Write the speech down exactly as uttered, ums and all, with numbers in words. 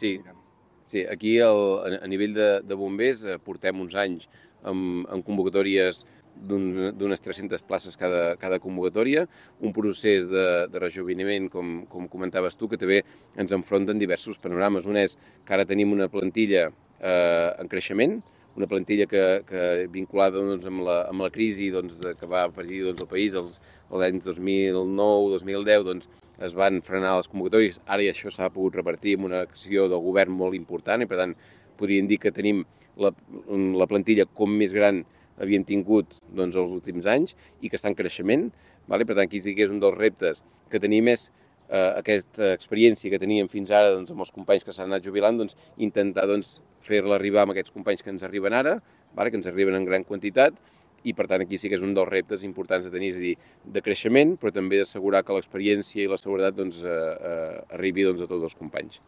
Sí, sí, aquí el, a nivell de, de bombers eh, portem uns anys amb, amb convocatòries d'un- d'unes tres-centes places cada, cada convocatòria, un procés de, de rejuveniment, com, com comentaves tu, que també ens enfronten diversos panorames. Un és que ara tenim una plantilla eh, en creixement, una plantilla que, que vinculada doncs, amb, la, amb la crisi doncs, de, que va patir doncs, el país els, els anys dos mil nou dos mil deu, doncs, es van frenar les convocatòries. Ara això s'ha pogut revertir amb una acció del govern molt important i, per tant, podríem dir que tenim la, la plantilla com més gran havíem tingut doncs, els últims anys i que està en creixement. Vale? Per tant, aquí sí que és un dels reptes que tenim és eh, aquesta experiència que teníem fins ara doncs, amb els companys que s'han anat jubilant, doncs, intentar doncs, fer-la arribar amb aquests companys que ens arriben ara, vale? Que ens arriben en gran quantitat, i per tant aquí sí que és un dels reptes importants de tenir, és a dir, de creixement, però també d'assegurar que l'experiència i la seguretat doncs, eh, eh, arribi doncs, a tots els companys.